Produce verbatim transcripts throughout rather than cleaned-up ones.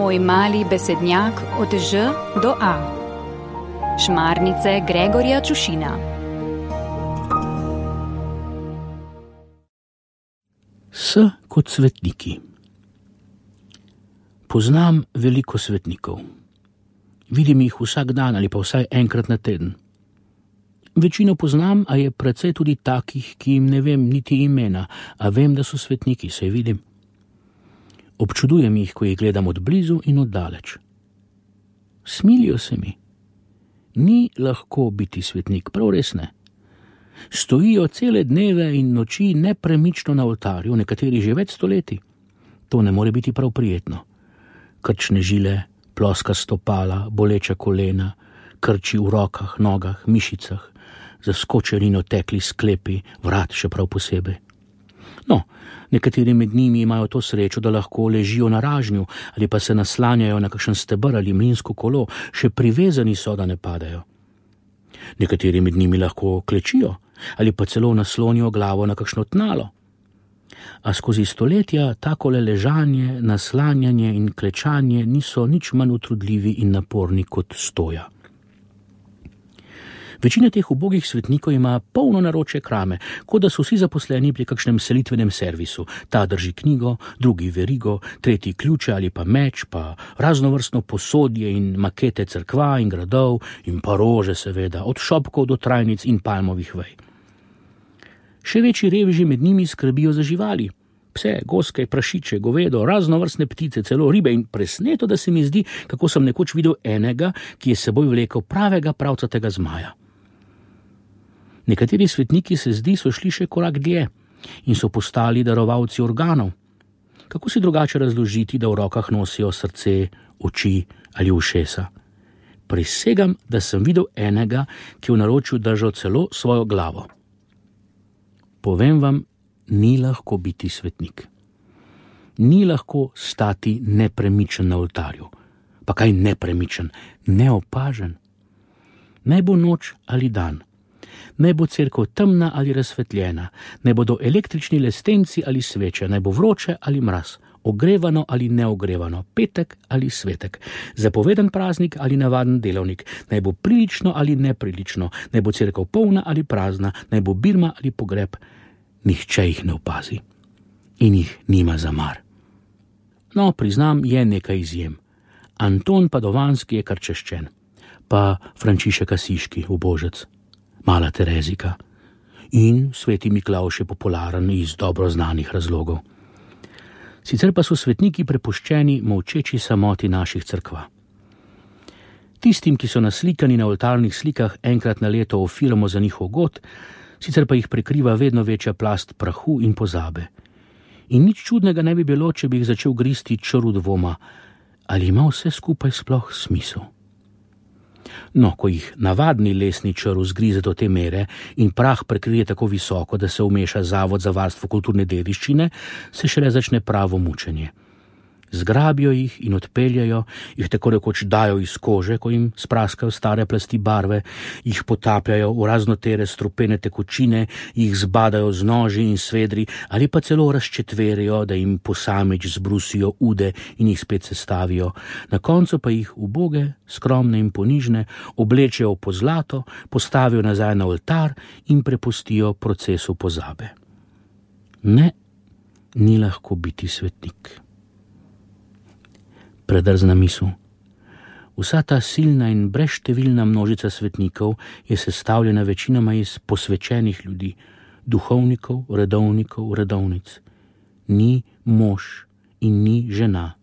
Moj mali besednjak od Ž do A. Šmarnice Gregorja Čušina. S kot svetniki. Poznam veliko svetnikov. Vidim jih vsak dan ali pa vsaj enkrat na teden. Večino poznam, a je precej tudi takih, ki jim ne vem niti imena, a vem, da so svetniki, saj vidim. Občudujem jih, ko jih gledam od blizu in od daleč. Smilijo se mi. Ni lahko biti svetnik, prav res ne. Stojijo cele dneve in noči nepremično na oltarju, nekateri že več stoletij. To ne more biti prav prijetno. Krčne žile, ploska stopala, boleča kolena, krči v rokah, nogah, mišicah, zaskočenino tekli sklepi, vrat še prav posebej. No, nekateri med njimi imajo to srečo, da lahko ležijo na ražnju ali pa se naslanjajo na kakšen steber ali mlinsko kolo, še privezani so, da ne padajo. Nekateri med njimi lahko klečijo ali pa celo naslonijo glavo na kakšno tnalo. A skozi stoletja takole ležanje, naslanjanje in klečanje niso nič manj utrudljivi in naporni kot stoja. Večina teh ubogih svetnikov ima polno naročje krame, kot da so vsi zaposleni pri kakšnem selitvenem servisu. Ta drži knjigo, drugi verigo, tretji ključe ali pa meč, pa raznovrstno posodje in makete cerkva in gradov in pa rože seveda, od šopkov do trajnic in palmovih vej. Še večji reveži med njimi skrbijo za živali. Pse, goske, prašiče, govedo, raznovrstne ptice, celo ribe in presneto, da se mi zdi, kako sem nekoč videl enega, ki je seboj vlekel pravega pravcatega zmaja. Nekateri svetniki se zdi so šli še korak dlje in so postali darovalci organov. Kako si drugače razložiti, da v rokah nosijo srce, oči ali ušesa? Prisegam, da sem videl enega, ki je v naročju držal celo svojo glavo. Povem vam, ni lahko biti svetnik. Ni lahko stati nepremičen na oltarju. Pa kaj nepremičen? Neopažen. Naj bo noč ali dan. Naj bo cerkev temna ali razsvetljena, naj bodo električni lestenci ali sveče, naj bo vroče ali mraz, ogrevano ali neogrevano, petek ali svetek, zapoveden praznik ali navaden delavnik, naj bo prilično ali neprilično, naj bo cerkev polna ali prazna, naj bo birma ali pogreb, nihče jih ne opazi in jih nima za mar. No, priznam, je nekaj izjem. Anton Padovanski je kar češčen, pa Frančišek Asiški, ubožec, Mala Terezika in sveti Miklavž je popularen iz dobro znanih razlogov. Sicer pa so svetniki prepuščeni molčeči samoti naših cerkva. Tistim, ki so naslikani na oltarnih slikah enkrat na leto ofiramo za njihov god, sicer pa jih prekriva vedno večja plast prahu in pozabe. In nič čudnega ne bi bilo, če bi jih začel gristi črv dvoma, ali ima vse skupaj sploh smisel. No, ko jih navadni lesni črv zgrize do te mere in prah prekrije tako visoko, da se vmeša Zavod za varstvo kulturne dediščine, se šele začne pravo mučenje. Zgrabijo jih in odpeljajo, jih tako rekoč dajo iz kože, ko jim spraskajo stare plasti barve, jih potapljajo v raznotere strupene tekočine, jih zbadajo z noži in svedri ali pa celo razčetverijo, da jim posamič zbrusijo ude in jih spet sestavijo. Na koncu pa jih uboge, skromne in ponižne oblečejo po zlato, postavijo nazaj na oltar in prepustijo procesu pozabe. Ne, ni lahko biti svetnik. Predrzna misel. Vsa ta silna in brezštevilna množica svetnikov je sestavljena večinoma iz posvečenih ljudi, duhovnikov, redovnikov, redovnic. Ni mož in ni žena.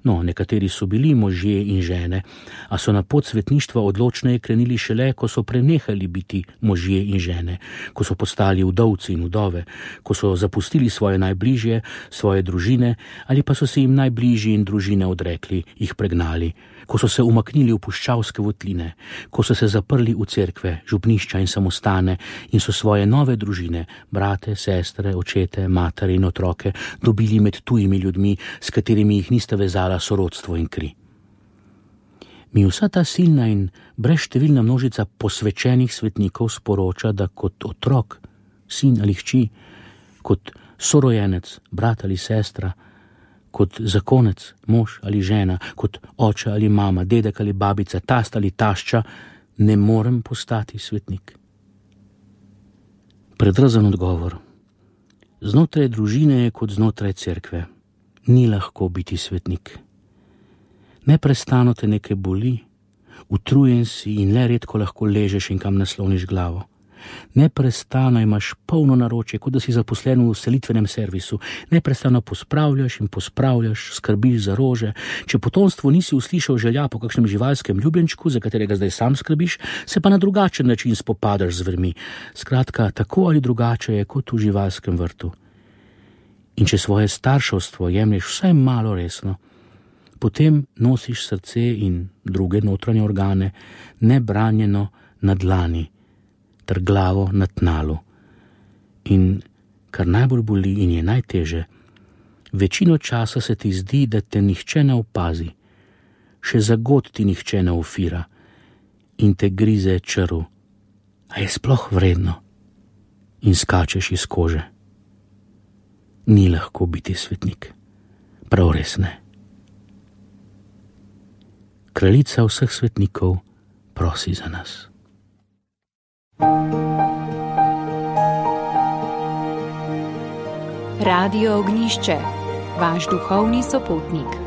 No, nekateri so bili možje in žene, a so na pot svetništva odločneje krenili šele, ko so prenehali biti možje in žene, ko so postali vdovci in vdove, ko so zapustili svoje najbližje, svoje družine ali pa so se jim najbližji in družine odrekli, jih pregnali, ko so se umaknili v puščavske votline, ko so se zaprli v cerkve, župnišča in samostane in so svoje nove družine, brate, sestre, očete, matere in otroke dobili med tujimi ljudmi, s katerimi jih nista vezala sorodstvo in kri. Mi vsa ta silna in brezštevilna množica posvečenih svetnikov sporoča, da kot otrok, sin ali hči, kot sorojenec, brat ali sestra, kot zakonec, mož ali žena, kot oče ali mama, dedek ali babica, tast ali tašča, ne morem postati svetnik. Predrzen odgovor. Znotraj družine je kot znotraj cerkve. Ni lahko biti svetnik. Neprestano te nekaj boli, utrujen si in le redko lahko ležeš in kam nasloniš glavo. Neprestano imaš polno naročje, kot da si zaposlen v selitvenem servisu. Neprestano pospravljaš in pospravljaš, skrbiš za rože. Če potomstvo nisi uslišal želja po kakšnem živalskem ljubljenčku, za katerega zdaj sam skrbiš, se pa na drugačen način spopadaš z zvermi. Skratka, tako ali drugače je kot v živalskem vrtu. In če svoje starševstvo jemlješ vsaj malo resno, potem nosiš srce in druge notranje organe nebranjeno na dlani, ter glavo na tnalu. In kar najbolj boli in je najteže, večino časa se ti zdi, da te nihče ne opazi, še za god ti nihče ne ufira in te grize črv. A je sploh vredno? In skačeš iz kože. Ni lahko biti svetnik. Prav res ne. Kraljica vseh svetnikov prosi za nas. Radio Ognišče, vaš duhovni sopotnik.